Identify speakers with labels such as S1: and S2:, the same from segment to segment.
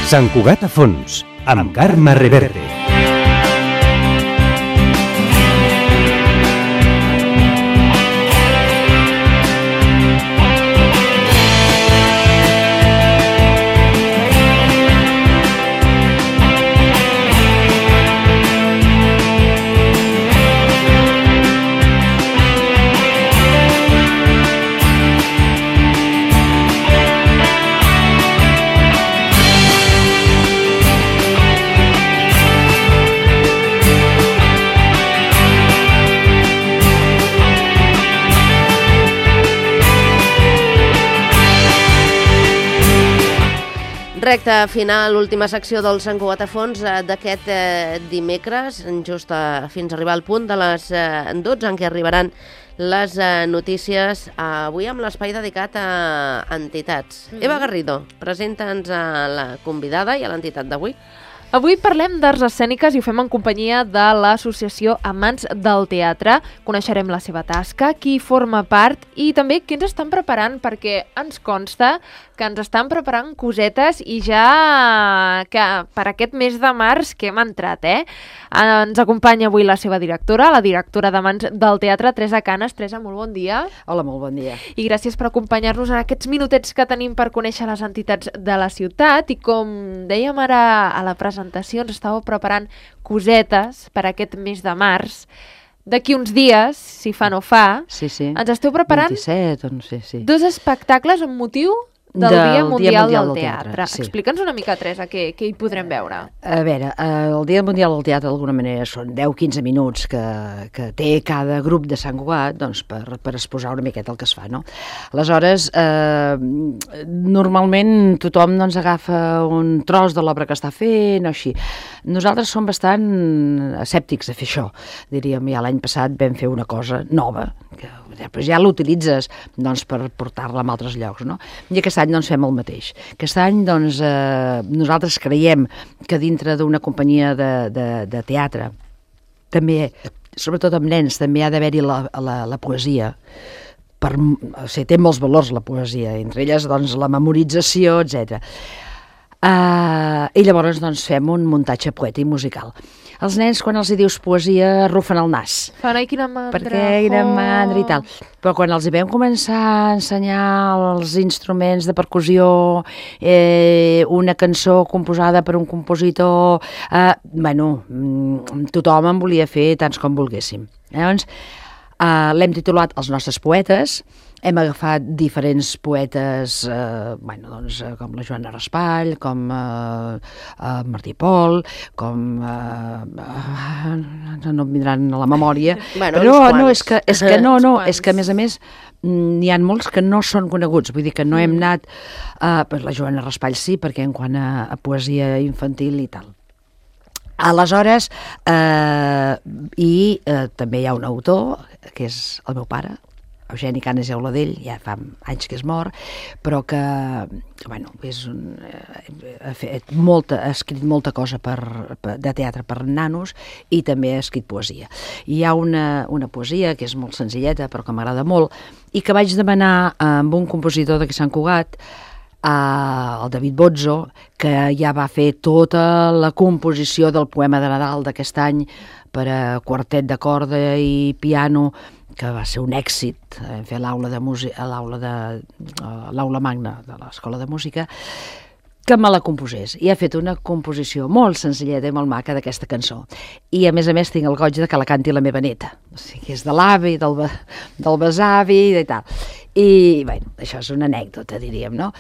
S1: Sant Cugat a fons, amb Carme Reverte.
S2: Recte final, última secció del Sant Cugat a fons d'aquest dimecres, just fins a arribar al punt de les 12, en què arribaran les notícies, avui amb l'espai dedicat a entitats. Eva Garrido, presenta'ns a la convidada i a l'entitat d'avui.
S3: Avui parlem d'arts escèniques i ho fem en companyia de l'associació Amants del Teatre. Coneixerem la seva tasca, qui forma part i també què ens estan preparant, perquè ens consta que ens estan preparant cosetes i ja que per aquest mes de març que hem entrat, Ens acompanya avui la seva directora, la directora d'Amants del Teatre, Teresa Canes. Teresa, molt bon dia.
S4: Hola, molt bon dia.
S3: I gràcies per acompanyar-nos en aquests minutets que tenim per conèixer les entitats de la ciutat. I com dèiem ara a la presentació, ens estàveu preparant cosetes per aquest mes de març. D'aquí uns dies, si fa no fa,
S4: sí.
S3: ens esteu preparant
S4: 27, o no sé, sí.
S3: 2 espectacles amb motiu del Dia Mundial del Teatre.
S4: Sí.
S3: Explica'ns una mica, Teresa, què hi podrem veure.
S4: A veure, el Dia Mundial del Teatre d'alguna manera són 10-15 minuts que té cada grup de Sant Cugat, doncs, per exposar una miqueta el que es fa, no? Aleshores, normalment tothom doncs, agafa un tros de l'obra que està fent o així. Nosaltres som bastant escèptics a fer això. Diríem, ja l'any passat vam fer una cosa nova, que ja l'utilitzes doncs, per portar-la a altres llocs, no? I aquest any doncs, fem el mateix. Aquest any doncs, nosaltres creiem que dintre d'una companyia de teatre, també, sobretot amb nens, també ha d'haver-hi la poesia. O sigui, té molts valors la poesia, entre elles doncs, la memorització, etc. I llavors doncs, fem un muntatge poètic musical. Els nens, quan els hi dius poesia, arrufen el nas.
S3: Fan, ai, quina mandra.
S4: Perquè quina mandra i tal. Però quan els hi vam començar a ensenyar els instruments de percussió, una cançó composada per un compositor, tothom en volia fer tants com volguéssim. Llavors, l'hem titulat Els nostres poetes. Hem agafat diferents poetes, com la Joana Raspall, com Martí Pol, com... no em vindran a la memòria. Però és que a més, n'hi ha molts que no són coneguts, vull dir que no hem anat... la Joana Raspall sí, perquè en quant a poesia infantil i tal. Aleshores, també hi ha un autor, que és el meu pare, Eugeni Canes i Auladell, ja fa anys que és mort, però que ha escrit molta cosa de teatre per nanos i també ha escrit poesia. I hi ha una poesia que és molt senzilleta però que m'agrada molt i que vaig demanar amb un compositor d'aquí Sant Cugat, el David Bozzo, que ja va fer tota la composició del poema de Nadal d'aquest any per a quartet de corda i piano, que va ser un èxit. Vam fer l'aula magna de l'Escola de Música, que me la composés. I ha fet una composició molt senzilleta i molt maca d'aquesta cançó. I a més tinc el goig de que la canti la meva neta. O sigui, és de l'avi, del besavi i tal. I, això és una anècdota, diríem, no?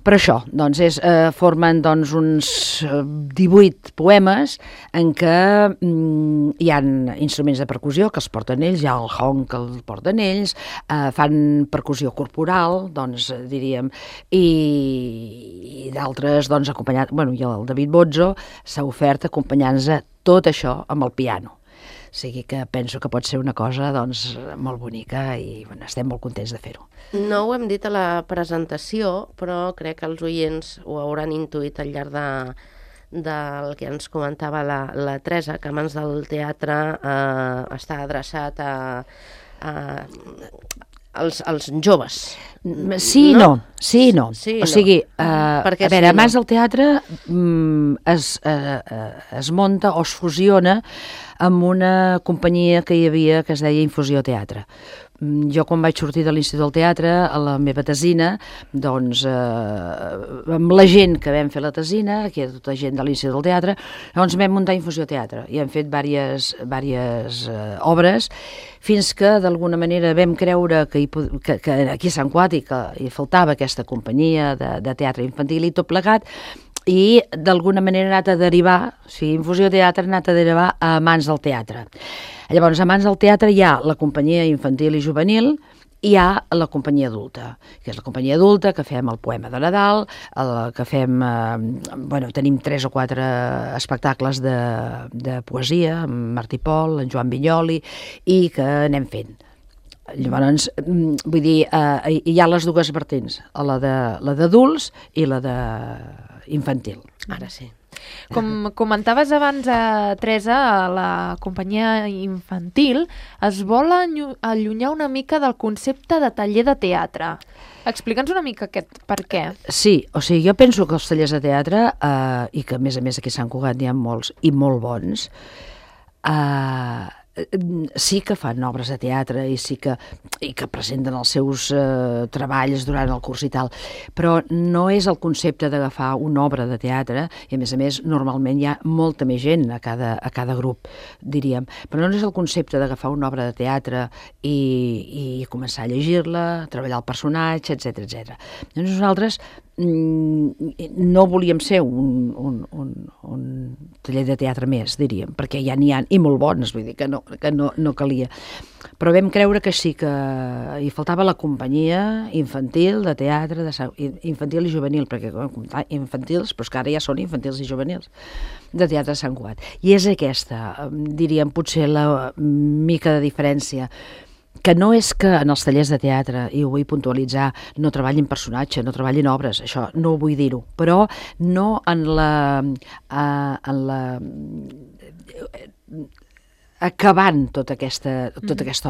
S4: Però això, doncs, formen doncs, uns 18 poemes en què hi ha instruments de percussió que els porten ells, hi ha el hong que el porten ells, fan percussió corporal, doncs, diríem, i d'altres, doncs, acompanyat... I el David Bozzo s'ha ofert acompanyant-nos a tot això amb el piano. O sigui que penso que pot ser una cosa doncs, molt bonica i estem molt contents de fer-ho.
S2: No ho hem dit a la presentació, però crec que els oients ho hauran intuït al llarg del que ens comentava la Teresa, que Amants del Teatre està adreçat a els joves.
S4: Sí, no. Sí, no.
S2: Sí,
S4: o sigui,
S2: Perquè
S4: a veure,
S2: sí,
S4: Amants
S2: no.
S4: del Teatre es munta o es fusiona amb una companyia que hi havia que es deia Infusió Teatre. Jo quan vaig sortir de l'Institut del Teatre, a la meva tesina, doncs amb la gent que vam fer la tesina, que era tota gent de l'Institut del Teatre, doncs vam muntar Infusió Teatre i hem fet diverses obres fins que d'alguna manera vam creure que aquí a Sant Cuat que hi faltava aquesta companyia de teatre infantil i tot plegat, i d'alguna manera ha anat a derivar, o sigui, Infusió Teatre ha anat a derivar a Amants del Teatre. Llavors, a Amants del Teatre hi ha la companyia infantil i juvenil, i hi ha la companyia adulta, que és la companyia adulta que fem el poema de Nadal, que fem, tenim 3 o 4 espectacles de poesia, amb Martí Pol, en Joan Vinyoli, i que anem fent. Llavors, vull dir, hi ha les dues vertents, la d'adults i la d'infantil.
S2: Ara sí.
S3: Com comentaves abans, Teresa, la companyia infantil es vol allunyar una mica del concepte de taller de teatre. Explica'ns una mica per què.
S4: Sí, o sigui, jo penso que els tallers de teatre, i que a més aquí a Sant Cugat n'hi ha molts i molt bons, sí que fan obres de teatre i que presenten els seus treballs durant el curs i tal, però no és el concepte d'agafar una obra de teatre, i a més normalment hi ha molta més gent a cada grup, diríem, però no és el concepte d'agafar una obra de teatre i començar a llegir-la, treballar el personatge, etc. Doncs nosaltres no volíem ser un taller de teatre més, diríem, perquè ja n'hi ha, i molt bons, vull dir que no calia. Però vam creure que sí que hi faltava la companyia infantil de teatre, infantil i juvenil, perquè infantils, però és que ara ja són infantils i juvenils, de teatre de Sant Cugat. I és aquesta, diríem, potser la mica de diferència, que no és que en els tallers de teatre, i ho vull puntualitzar, no treballin personatge, no treballin obres, això no ho vull dir-ho, però no en la acabant tota aquesta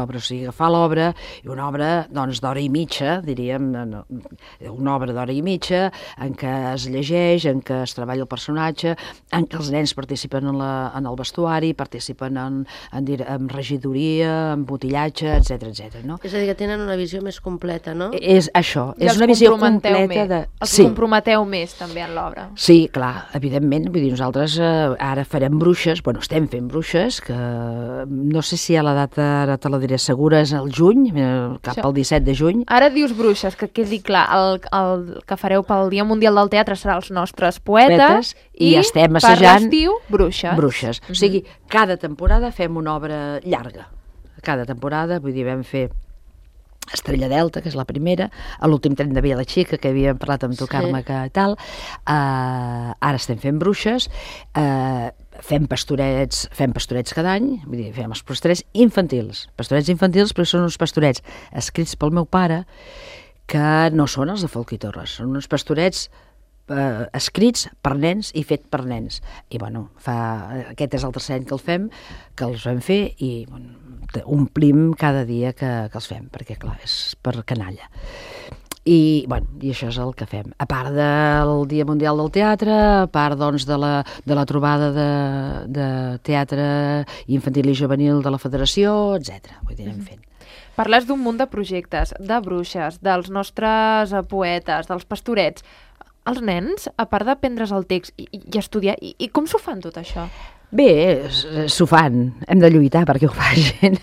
S4: obra, o sigui, agafar l'obra, i una obra d'hora i mitja, diríem, una obra d'hora i mitja, en què es llegeix, en què es treballa el personatge, en què els nens participen en el vestuari, participen en regidoria, en botillatge, etc. No?
S2: És a dir, que tenen una visió més completa, no?
S4: És això, és una visió completa
S3: Els comprometeu més també en l'obra.
S4: Sí, clar, evidentment, vull dir, nosaltres ara farem Bruixes, estem fent Bruixes, que no sé si a la data, ara te la diré segura, és el juny, cap al 17 de juny.
S3: Ara dius Bruixes, que quedi clar, el que fareu pel Dia Mundial del Teatre serà els nostres poetes
S4: i estem assajant
S3: per l'estiu, Bruixes.
S4: O sigui, cada temporada fem una obra llarga. Cada temporada, vull dir, vam fer Estrella Delta, que és la primera, a l'últim tren de Via la Xica, que havíem parlat amb tu, Carme, que tal. Ara estem fent Bruixes, fem pastorets cada any, vull dir, fem els pastorets infantils, però són uns pastorets escrits pel meu pare, que no són els de Folch i Torres, són uns pastorets escrits per nens i fet per nens. I aquest és el tercer any que els vam fer, i omplim cada dia que els fem, perquè clar, és per canalla. I això és el que fem. A part del Dia Mundial del Teatre, a part de la trobada de teatre infantil i juvenil de la Federació, etc. Vull dir, anem fent.
S3: Parles d'un munt de projectes, de Bruixes, dels nostres poetes, dels pastorets. Els nens, a part d'aprendre's el text i estudiar, i com s'ho fan tot això?
S4: Bé, s'ho fan, hem de lluitar perquè ho facin,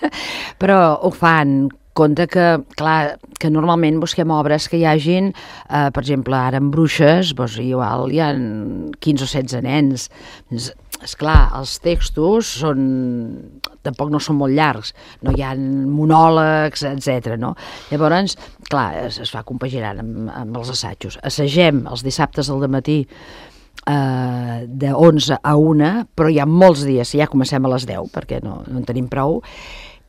S4: però ho fan. Compte que, clar, que normalment busquem obres que hi hagin, per exemple, ara en Bruixes, igual hi ha 15 o 16 nens. Esclar, els textos tampoc no són molt llargs, no hi ha monòlegs, etc. No? Llavors, clar, es va compaginant amb els assajos. Assagem els dissabtes al dematí de 11 a 1, però hi ha molts dies, ja comencem a les 10, perquè no en tenim prou,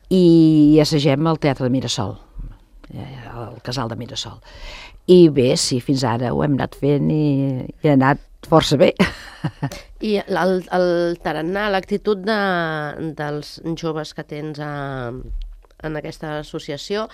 S4: i assagem al Teatre de Mirasol, al Casal de Mirasol. I bé, sí, fins ara ho hem anat fent i ha anat força bé.
S2: I el tarannà, l'actitud dels joves que tens en aquesta associació,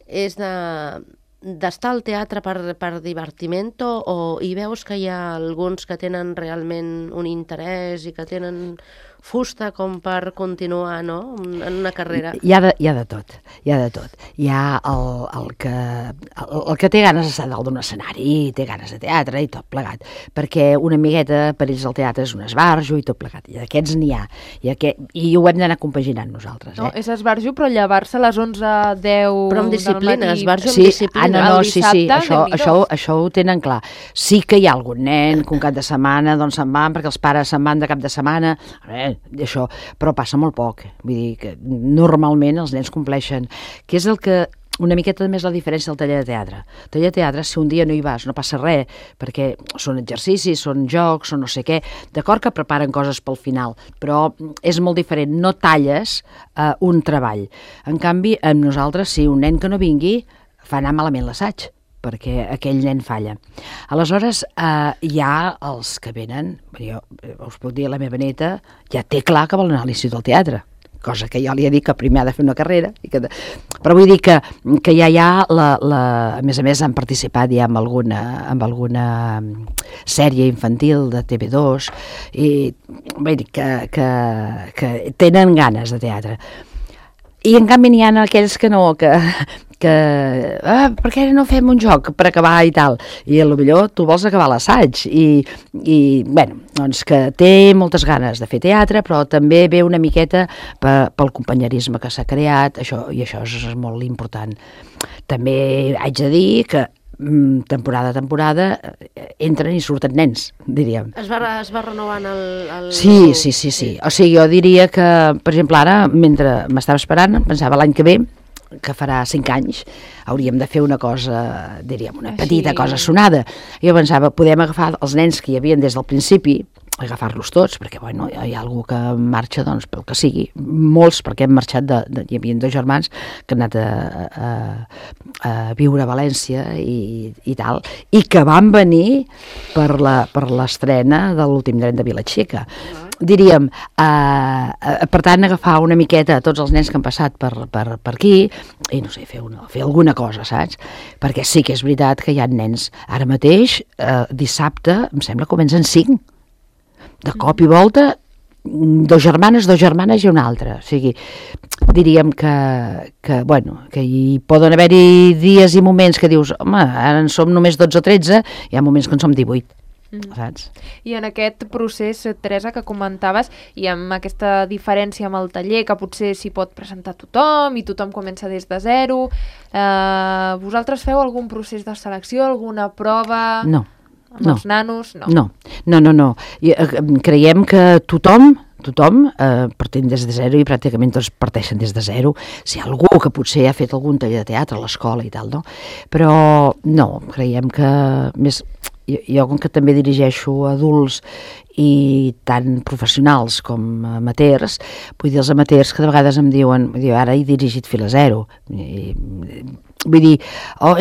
S2: és d'estar al teatre per divertimento, o hi veus que hi ha alguns que tenen realment un interès i que tenen fusta com per continuar, no?, en una carrera?
S4: Hi ha de tot, hi ha de tot. Hi ha el que té ganes d'estar dalt d'un escenari, té ganes de teatre i tot plegat, perquè una amigueta per ells el teatre és un esbarjo i tot plegat, i d'aquests n'hi ha, i ho hem d'anar compaginant nosaltres.
S3: No, és esbarjo, però llevar-se a les 11:10
S2: però amb disciplina, esbarjo amb
S4: sí,
S2: disciplina.
S4: Això ho tenen clar. Sí que hi ha algun nen que un cap de setmana doncs se'n van perquè els pares se'n van de cap de setmana, això, però passa molt poc. Vull dir que normalment els nens compleixen, que és el que una miqueta més la diferència del taller de teatre. El taller de teatre, si un dia no hi vas, no passa res, perquè són exercicis, són jocs, són no sé què. D'acord que preparen coses pel final, però és molt diferent. No talles un treball. En canvi, amb nosaltres, si un nen que no vingui, fa anar malament l'assaig, perquè aquell nen falla. Aleshores, hi ha els que venen, jo us puc dir, la meva neta ja té clar que vol anar a l'Institut del Teatre, cosa que jo li he dit que primer ha de fer una carrera, però vull dir que ja hi ha, a més han participat ja amb alguna sèrie infantil de TV2, i vull dir que tenen ganes de teatre. I en canvi n'hi ha aquells que no, per què no fem un joc per acabar i tal? I potser tu vols acabar l'assaig. I bueno, doncs que té moltes ganes de fer teatre, però també ve una miqueta pel companyerisme que s'ha creat, i això és molt important. També haig de dir que temporada a temporada entren i surten nens, diríem.
S2: Es va renovant el...
S4: Sí. O sigui, jo diria que, per exemple, ara, mentre m'estava esperant, pensava l'any que ve, que farà 5 anys, hauríem de fer una cosa, diríem, una petita cosa sonada. Jo pensava, podem agafar els nens que hi havia des del principi, agafar-los tots, perquè bueno, hi ha algú que marxa, doncs, pel que sigui. Molts, perquè hem marxat, hi havia 2 germans que han anat a viure a València i tal, i que van venir per l'estrena de l'últim tren de Vilaseca. Diríem, per tant, agafar una miqueta tots els nens que han passat per aquí i, no sé, fer alguna cosa, saps? Perquè sí que és veritat que hi ha nens. Ara mateix, dissabte, em sembla que comencen 5. De cop i volta, 2 germanes i una altra. O sigui, diríem que hi poden haver-hi dies i moments que dius, home, ara en som només 12 o 13, hi ha moments que en som 18. Saps?
S3: I en aquest procés, Teresa, que comentaves, i amb aquesta diferència amb el taller, que potser s'hi pot presentar tothom i tothom comença des de zero, vosaltres feu algun procés de selecció, alguna prova?
S4: No.
S3: Amb els nanos?
S4: No. Creiem que tothom partint des de zero, i pràcticament tots parteixen des de zero. Si hi ha algú que potser ha fet algun taller de teatre a l'escola i tal, no? Però no, creiem que més... Jo, com que també dirigeixo adults i tant professionals com amateurs, vull dir, els amateurs que de vegades em diuen, ara he dirigit Fila Zero. Vull dir,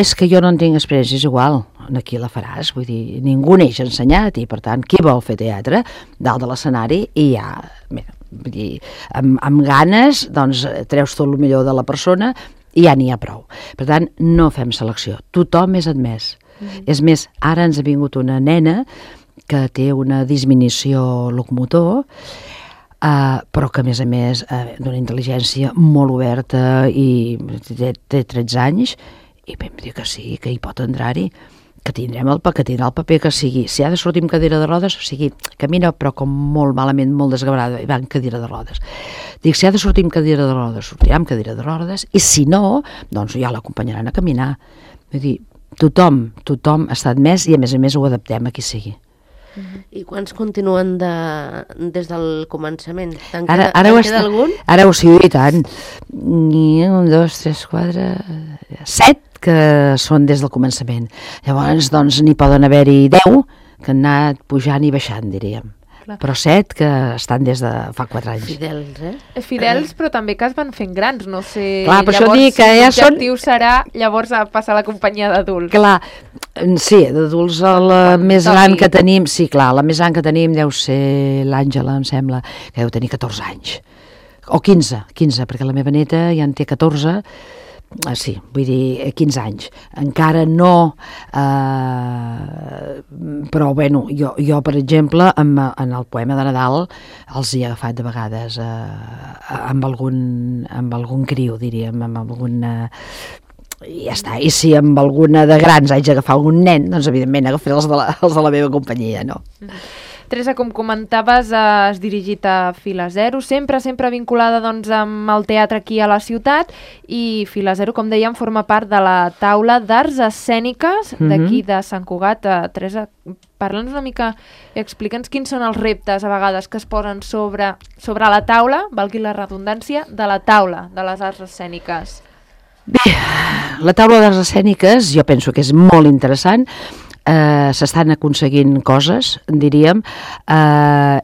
S4: és que jo no en tinc experiència, és igual, aquí la faràs, vull dir, ningú neix ensenyat, i per tant, qui vol fer teatre dalt de l'escenari, i ja, vull dir, amb ganes, doncs treus tot el millor de la persona i ja n'hi ha prou. Per tant, no fem selecció, tothom és admès. És més, ara ens ha vingut una nena que té una disminució locomotor, però que a més d'una intel·ligència molt oberta, i té 13 anys, i vam dir que sí, que hi pot entrar-hi, que tindrà el paper que sigui. Si ha de sortir amb cadira de rodes, o sigui, camina però com molt malament, molt desgabrada, i va en cadira de rodes. Dic, si ha de sortir amb cadira de rodes, sortirà amb cadira de rodes, i si no, doncs ja l'acompanyaran a caminar. Vull dir, tothom està admès, i a més ho adaptem a qui sigui.
S2: I quants continuen des del començament?
S4: Ara
S2: algun?
S4: Ara ho sigui, i tant. 1, 2, 3, 4... 7 que són des del començament. Llavors, doncs, n'hi poden haver-hi 10 que han anat pujant i baixant, diríem. Clar. Però 7 que estan des de fa 4 anys.
S2: Fidels,
S3: Fidels, però també que es van fent grans, no sé...
S4: Clar, per això dic que ja són...
S3: L'objectiu serà llavors a passar a la companyia d'adults.
S4: Clar, sí, d'adults la més gran que tenim... Sí, clar, la més gran que tenim deu ser l'Àngela, em sembla, que deu tenir 14 anys. O 15, perquè la meva neta ja en té 14, Sí, vull dir, 15 anys. Encara no, però bueno, jo per exemple, en el poema de Nadal els he agafat de vegades amb algun criu, diríem, amb algun... I ja està, i si amb alguna de grans haig d'agafar algun nen, doncs evidentment agafaré els de la meva companyia, no?
S3: Teresa, com comentaves, has dirigit a Fila Zero, sempre vinculada doncs, amb el teatre aquí a la ciutat, i Fila Zero, com dèiem, forma part de la taula d'arts escèniques d'aquí de Sant Cugat. Teresa, parla'ns una mica i explica'ns quins són els reptes a vegades que es posen sobre la taula, valgui la redundància, de la taula de les arts escèniques.
S4: Bé, la taula d'arts escèniques jo penso que és molt interessant. S'estan aconseguint coses, diríem,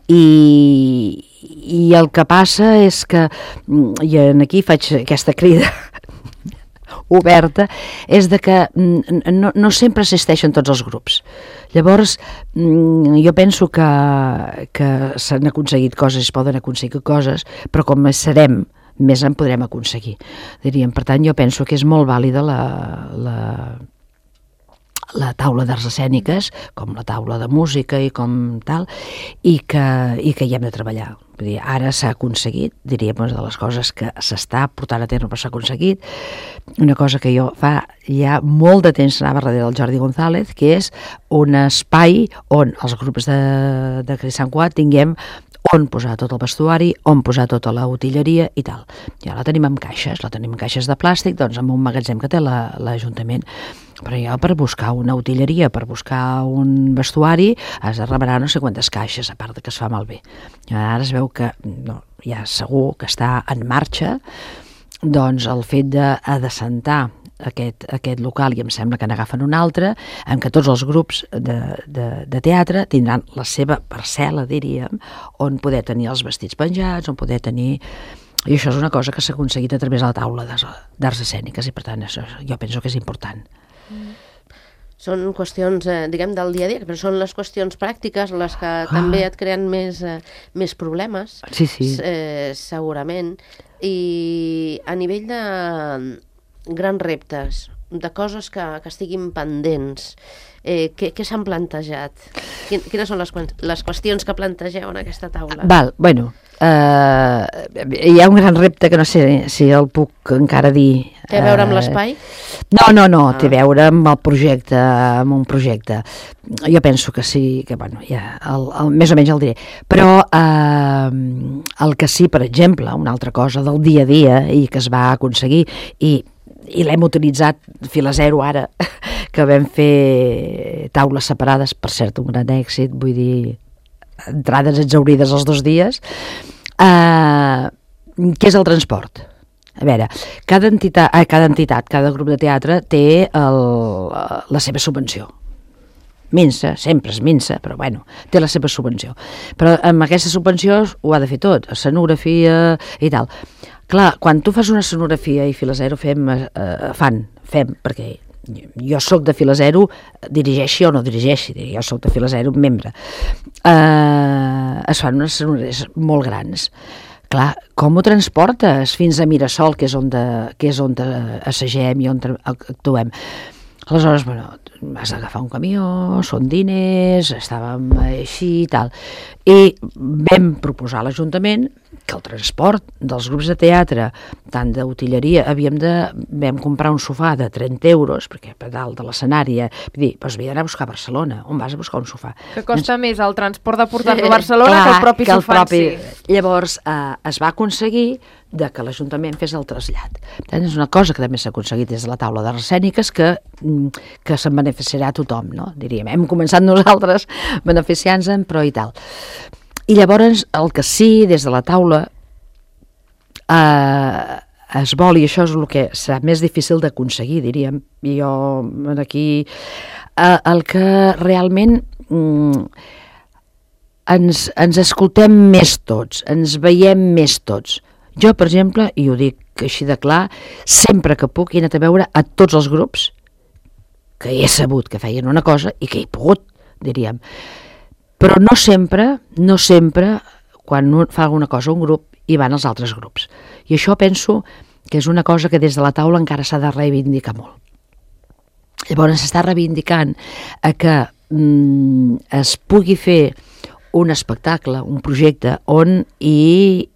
S4: i el que passa és que, i aquí faig aquesta crida oberta, és de que no sempre assisteixen tots els grups. Llavors, jo penso que s'han aconseguit coses, es poden aconseguir coses, però com serem, més en podrem aconseguir, diríem. Per tant, jo penso que és molt vàlida la taula d'arts escèniques, com la taula de música i com tal, i que hi hem de treballar. Vull dir, ara s'ha aconseguit, diríem, de les coses que s'està portant a terme, però s'ha aconseguit una cosa que jo fa ja molt de temps anava darrere del Jordi González, que és un espai on els grups de Sant Cugat tinguem on posar tot el vestuari, on posar tota la utilleria i tal. Ja la tenim amb caixes, de plàstic, doncs amb un magatzem que té l'Ajuntament. Però ja per buscar una utilleria, per buscar un vestuari, has de remenar no sé quantes caixes, a part que es fa malbé. Ara es veu que ja segur que està en marxa doncs el fet d'assentar aquest local, i em sembla que n'agafen un altre, en què tots els grups de teatre tindran la seva parcel·la, diríem, on poder tenir els vestits penjats, on poder tenir... I això és una cosa que s'ha aconseguit a través de la taula d'arts escèniques, i per tant això jo penso que és important.
S2: Són qüestions, diguem, del dia a dia, però són les qüestions pràctiques les que també et creen més problemes,
S4: sí.
S2: Segurament. I a nivell de grans reptes, de coses que estiguin pendents, què s'han plantejat? Quines són les qüestions que plantegeu en aquesta taula?
S4: Bueno, hi ha un gran repte que no sé si el puc encara dir.
S2: Té a veure amb l'espai?
S4: No, té a veure amb el projecte, amb un projecte. Jo penso que sí, que bueno, ja, més o menys el diré. Però el que sí, per exemple, una altra cosa del dia a dia i que es va aconseguir, i l'hem utilitzat Fila Zero ara, que vam fer taules separades, per cert, un gran èxit, vull dir, entrades exaurides els 2 dies, què és el transport? A veure, cada entitat, cada grup de teatre té la seva subvenció. Minsa, sempre és minsa, però bueno, té la seva subvenció. Però amb aquesta subvenció ho ha de fer tot, escenografia i tal. Clar, quan tu fas una escenografia i Fila Zero fem, perquè jo sóc de Fila Zero, dirigeixi o no dirigeixi, jo sóc de Fila Zero, membre. Es fan unes escenografies molt grans. Clar, com ho transportes fins a Mirasol, que és on assagem i on actuem? Aleshores, bueno, has d'agafar un camió, són diners, estàvem així i tal. I vam proposar a l'Ajuntament que el transport dels grups de teatre, tant d'utilleria, vam comprar un sofà de 30 euros, perquè per dalt de l'escenari, vull dir, doncs havia d'anar a buscar a Barcelona. On vas a buscar un sofà?
S3: Que costa més el transport de portar-lo a Barcelona que el propi sofà en si.
S4: Llavors, es va aconseguir que l'Ajuntament fes el trasllat. És una cosa que també s'ha aconseguit des de la taula d'arts escèniques que se'n beneficiarà tothom, no? Diríem, hem començat nosaltres beneficiant-se'n, però i tal. I llavors el que sí, des de la taula es vol, i això és el que serà més difícil d'aconseguir, diríem, i jo aquí el que realment ens escoltem més tots, ens veiem més tots. Jo, per exemple, i ho dic així de clar, sempre que puc he anat a veure a tots els grups que he sabut que feien una cosa i que he pogut, diríem. Però no sempre, quan fa alguna cosa un grup, hi van els altres grups. I això penso que és una cosa que des de la taula encara s'ha de reivindicar molt. Llavors s'està reivindicant a que es pugui fer un espectacle, un projecte on hi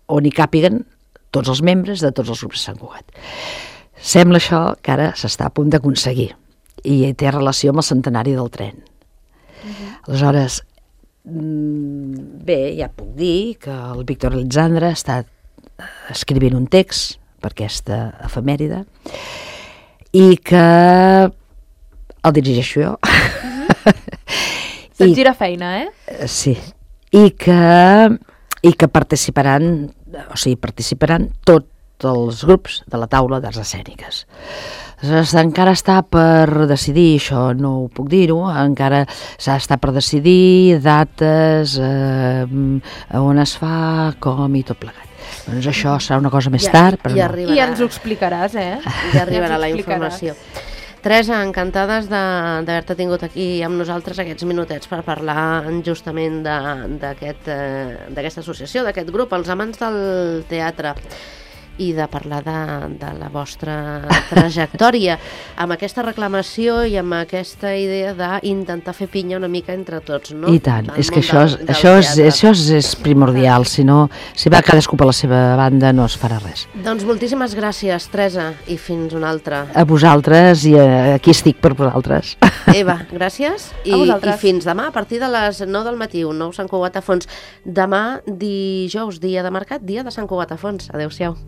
S4: càpiguen tots els membres de tots els grups de Sant Cugat. Sembla això que ara s'està a punt d'aconseguir i té relació amb el centenari del tren. Aleshores, bé, ja puc dir que el Víctor Alexandre està escrivint un text per aquesta efemèride i que el dirigeixo jo.
S3: Se't gira feina,
S4: Sí. I que participaran tots els grups de la taula d'arts escèniques. Aleshores, encara està per decidir, això no ho puc dir-ho, encara s'està per decidir dates, on es fa, com i tot plegat. Doncs això serà una cosa més tard, però no.
S3: I ens ho explicaràs,
S2: Ja arribarà la informació. Teresa, encantades d'haver-te tingut aquí amb nosaltres aquests minutets per parlar justament d'aquesta associació, d'aquest grup, els amants del teatre, i de parlar de la vostra trajectòria amb aquesta reclamació i amb aquesta idea d'intentar fer pinya una mica entre tots, no?
S4: I tant, és que això és primordial, si va cadascú per la seva banda no es farà res.
S2: Doncs moltíssimes gràcies, Teresa, i fins una altra.
S4: A vosaltres, i aquí estic per vosaltres.
S2: Eva, gràcies, i fins demà a partir de les 9 del matí, un nou Sant Cugat a Fons. Demà, dijous, dia de mercat, dia de Sant Cugat a Fons. Adéu-siau.